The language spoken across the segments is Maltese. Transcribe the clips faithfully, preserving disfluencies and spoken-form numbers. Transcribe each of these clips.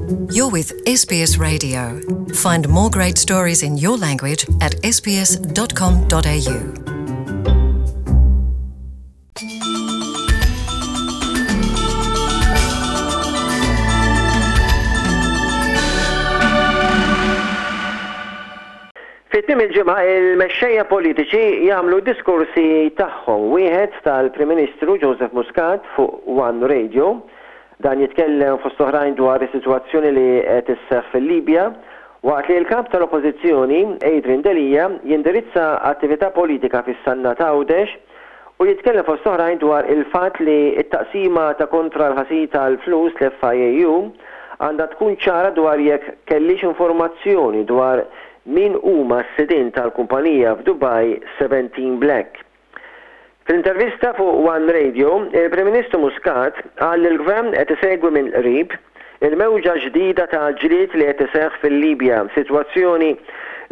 You're with S B S Radio. Find more great stories in your language at S B S dot com dot A U. Fi tmiem il-ġimgħa il-mexxejja politiċi jagħmlu diskorsi tagħhom, wieħed tal-Prim Ministru Joseph Muscat fuq One Radio. Dan jitkellem fost oħrajn dwar is-sitwazzjoni li qed isseħħ fil-Libja, waqt li l-kap tal-Oppożizzjoni Adrian Delia jindirizza attività politika fis-Sannat Għawdex u jitkellem fost oħrajn dwar il-fatt li t-taqsima ta' kontra l-ħasil tal-flus, l-F I A U, għandha tkun ċara dwar jekk kellix informazzjoni dwar min huma s-sidien tal-kumpanija f'Dubai seventeen Black. Fl-intervista fuq One Radio, il-Prim Ministru Muscat qal li l-Gvern qed isegwi minn qrib il-mewġa ġdida ta' ġlied li qed iseħħ fil-Libja, sitwazzjoni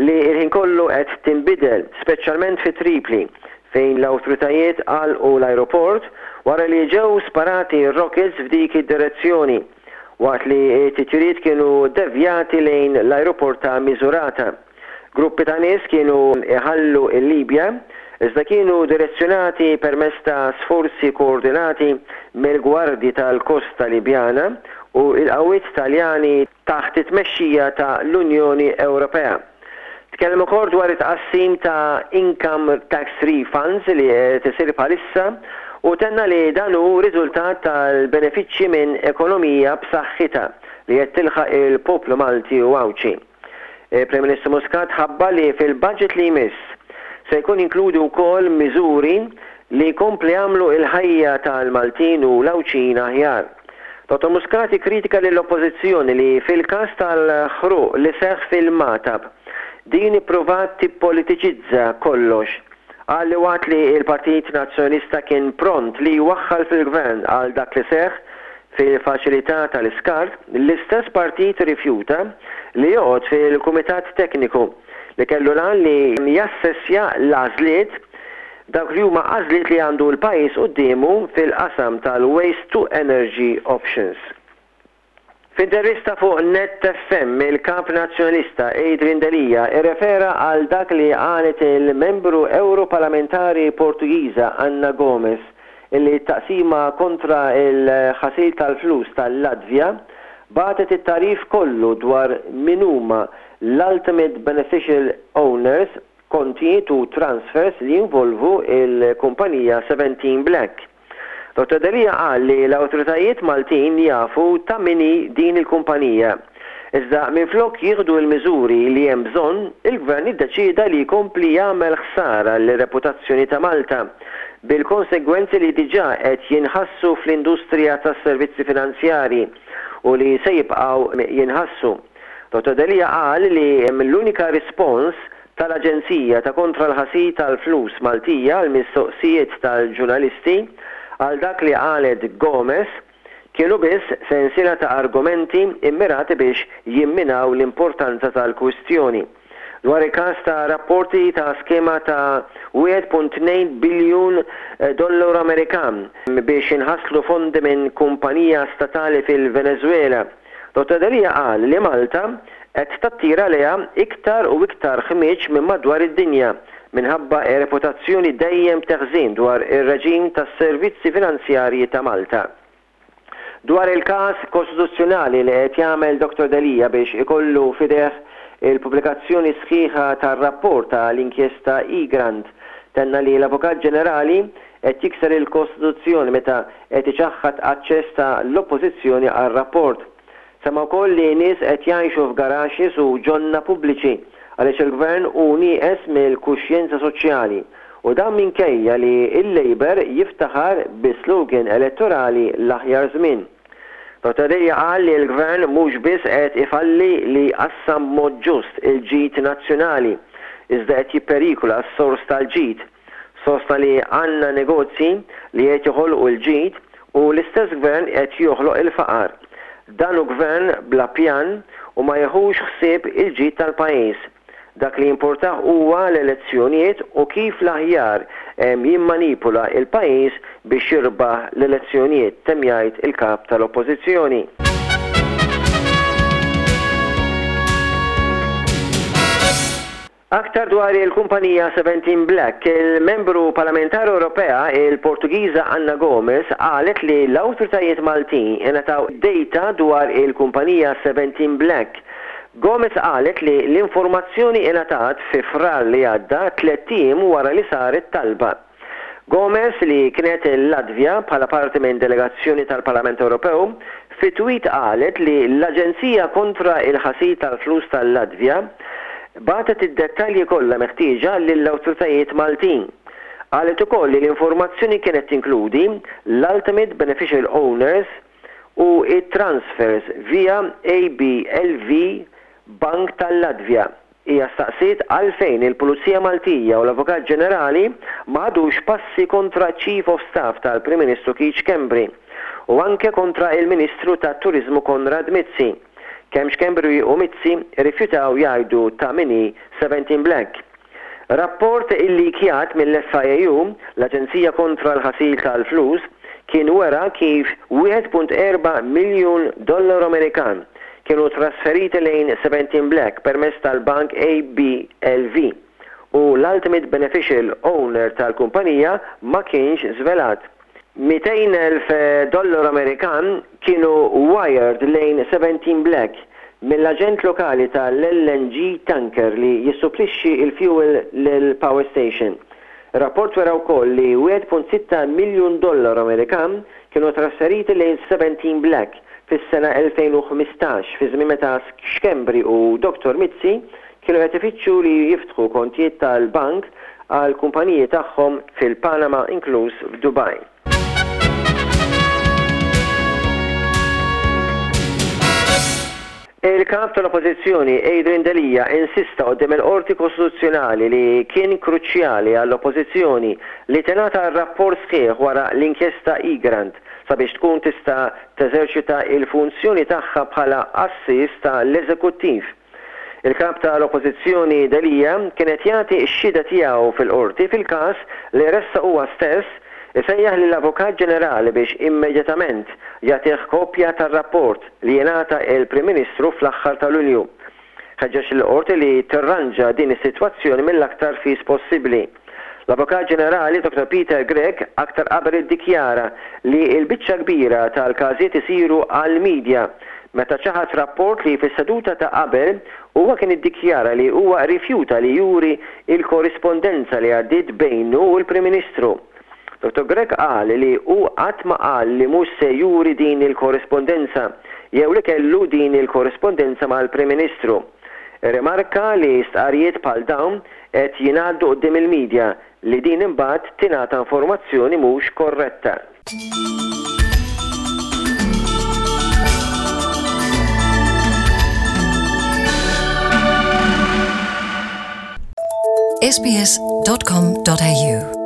li l-ħin kollu qed tinbidel, speċjalment fi Tripli, fejn l-awtoritajiet għalqu l-aeroport wara li ġew sparati rockets f'dik id-direzzjoni, waqt li t-titjiriet kienu devjati lejn l-aeroport ta' Misurata. Gruppi ta' nies kienu iħallu il-Libja, iżda kienu direzzjonati permezz ta' sforzi koordinati mill-Gwardji tal-Kosta Libjana u l-qawwiet Taljani taħt it-tmexxija ta' l-Unjoni Ewropea. Tkellem ukoll dwar it-tqassim ta' income tax refunds li qed isir bħalissa u tenna li dan hu riżultat tal-benefiċċji minn ekonomija b'saħħitha li qed tilħaq il-poplu Malti u Għawdxi. Prim Ministru Muscat ħabbar li fil-budget li jmiss se jkun jinkludi wkoll miżuri li jkompli jagħmlu il-ħajja tal-Maltin u l-Għawdxin aħjar. Dottor Muscat kritika lill-Oppożizzjoni li fil-każ tal-ħruq li seħħ fil-Magħtab din ippruvat tippolitiċizza kollox. Qal li waqt li il-Partit Nazzjonalista kien pront li jwaħħal fil-gvern għal dak li seħħ fil-faċilità tal-iskart, l-istess partit rifjuta li joqgħod fil-Kumitat Tekniku li kellu l-għan li jassessja l-għażliet, dawk li huma għażliet li għandu l-pajjiż quddiemu fil-qasam tal-Waste to Energy Options. F'intervista fuq Net F M, il-kap nazzjonalista Adrian Delia irrefera għal dak li qalet il-membru Europarlamentari Portugiża Anna Gomes, illi taqsima kontra il-ħasil tal-flus tal-Latvja bagħtet it-tagħrif kollu dwar min huma l-ultimate beneficial owners, kontijiet u transfers li jinvolvu il-kumpanija seventeen Black. Dottor Delia qal li l-awtoritajiet Maltin jafu ta' min hi din il-kumpanija. Iżda minflok jieħdu l-miżuri li hemm bżonn, il-gvern iddeċida li jkompli jagħmel ħsara l-reputazzjoni ta' Malta bil-konsegwenzi li diġà qed jinħassu fl-industrija tas-servizzi finanzjari u li se jibqgħu jinħassu. Dottor Delia qal li l-unika rispons tal-Aġenzija ta' kontra l-ħasil tal-flus Maltija għal mistoqsijiet tal-ġurnalisti għal dak li qalet Gomez kienu biss sensiela ta' argumenti immirati biex jimminaw l-importanza tal-kwistjoni. Dwar il-każ ta' rapporti ta' skema ta' wieħed punt tnejn biljun dollaru Amerikan biex inħaslu fondi minn kumpanija statali fil-Venezuela, Dottor Delia qal li Malta qed tattira lejha iktar u iktar ħmieġ minn madwar id-dinja minħabba reputazzjoni dejjem teħżien dwar ir-reġim tas-servizzi finanzjarji ta' Malta. Dwar il-każ kostituzzjonali li qed jagħmel Dottor Delia biex ikollu f'idejh il-pubblikazzjoni sħiħa tar-rapport tal-inkjesta Egrant, tenna li l-Avukat Ġenerali qed jikser il-Kostituzzjoni meta qed iċaħħad aċċess ta' l-Oppożizzjoni għar-rapport. Semma wkoll li nies qed jgħixu f'garaxes u ġonna pubbliċi għaliex il-gvern hu nieqes mill-kuxjenza soċjali u dan minkejja li il-Labour jiftaħar bi slogan elettorali "L-aħjar żmien". Dottor Delia qal li l-gvern mhux biss qed ifalli li jqassam mod ġust il-ġid nazzjonali, iżda qed jipperikola s-sors tal-ġid. Sostna li għandna negozji li qed joħolqu l-ġid u l-istess gvern qed joħloq il-faqar. Dan hu gvern bla pjan u ma jeħux ħsieb il-ġid tal-pajjiż. Dak li importah huwa l-elezzjonijiet u kif l-aħjar jimmanipula il-pajjiż biex jirbaħ l-elezzjonijiet, temm jgħid il-kap tal-Oppożizzjoni. Aktar dwar il-kumpanija Seventeen Black, il-membru parlamentari Ewropea, il-Portugiża Anna Gomes, qalet li l-awtoritajiet Maltin ingħataw data dwar il-kumpanija Seventeen Black. Gomes qalet li l-informazzjoni ingħatat fi Frar li għadda, tlett ijiem wara li saret talba. Gomes, li kienet il-Latvja bħala parti minn delegazzjoni tal-Parlament Ewropew, fi tweet qalet li l-Aġenzija kontra il-ħasil tal-flus tal-Latvja bagħtet id-dettalji kollha meħtieġa lill-awtoritajiet Maltin. Qalet ukoll li l-informazzjoni kienet tinkludi l-ultimate beneficial owners u it-transfers via A B L V Bank tal-Latvja. Hija staqsiet għalfejn il-Pulizija Maltija u l-Avukat Ġenerali ma ħadux passi kontra Chief of Staff tal-Prim Ministru Keith Schembri u anke kontra il-Ministru tat-Turizmu Konrad Mizzi. Kemm Schembri u Mizzi rifjutaw jgħidu ta' min hi Seventeen Black. Rapport illikjat mill-F I U, l-Aġenzija kontra l-ħasil tal-flus, kien wera kif wieħed punt erba' miljun dollaru Amerikan kienu trasferiti lejn Seventeen Black permezz tal-bank A B L V u l-ultimate beneficial owner tal-kumpanija ma kienx żvelat. mitejn elf dollaru Amerikan kienu wired lejn Seventeen Black mill-aġent lokali tal-L N G tanker li jissupplixxi il-fuel lil-power station. Rapport wera wkoll li wieħed punt sitta miljun dollaru Amerikan kienu trasferiti lejn Seventeen Black fis-sena elfejn u ħmistax, fi żmien meta Schembri u Doktor Mizzi kienu qed ifittxu li jiftħu kontijiet tal-bank għal kumpaniji tagħhom fil-Panama, inkluż f'Dubai. Il-kap tal-Oppożizzjoni Adrian Delia insista quddiem il-Qorti Kostituzzjonali li kien kruċjali għall-Oppożizzjoni li tingħata rapport sħiħ wara l-inkjesta Egrant sabiex tkun tista' teżerċita il-funzjoni tagħha bħala għassies tal-eżekuttiv. Il-kap tal-Oppożizzjoni Delia kien qed jagħti x-xhieda tiegħu fil-qorti fil-każ li ressaq huwa stess, isejjaħ lill-Avukat Ġenerali biex immedjatament jagħtih kopja tar-rapport li jingħata il-Prim Ministru fl-aħħar ta' Lulju. Ħeġġeġ il-qorti li tirranġa din is-sitwazzjoni mill-aktar fis possibbli. L-Avukat Ġenerali Doktor Peter Grech aktar qabel iddikjara li l-biċċa kbira tal-każijiet isiru għal-medja meta ċaħat rapport li fis-seduta ta' qabel huwa kien iddikjara li huwa rifjuta li juri il-korrispondenza li għaddiet bejnu u l-Prim Ministru. Doktor Grech qal li hu qatt ma qal li mhux se juri din il-korrispondenza jew li kellu din il-korrispondenza mal-Prim Ministru. Remarka li stqarrijiet bħal dawn qed jingħaddu quddiem il-medja, li din imbagħad tingħata informazzjoni mhux korretta. S B S dot com dot A U.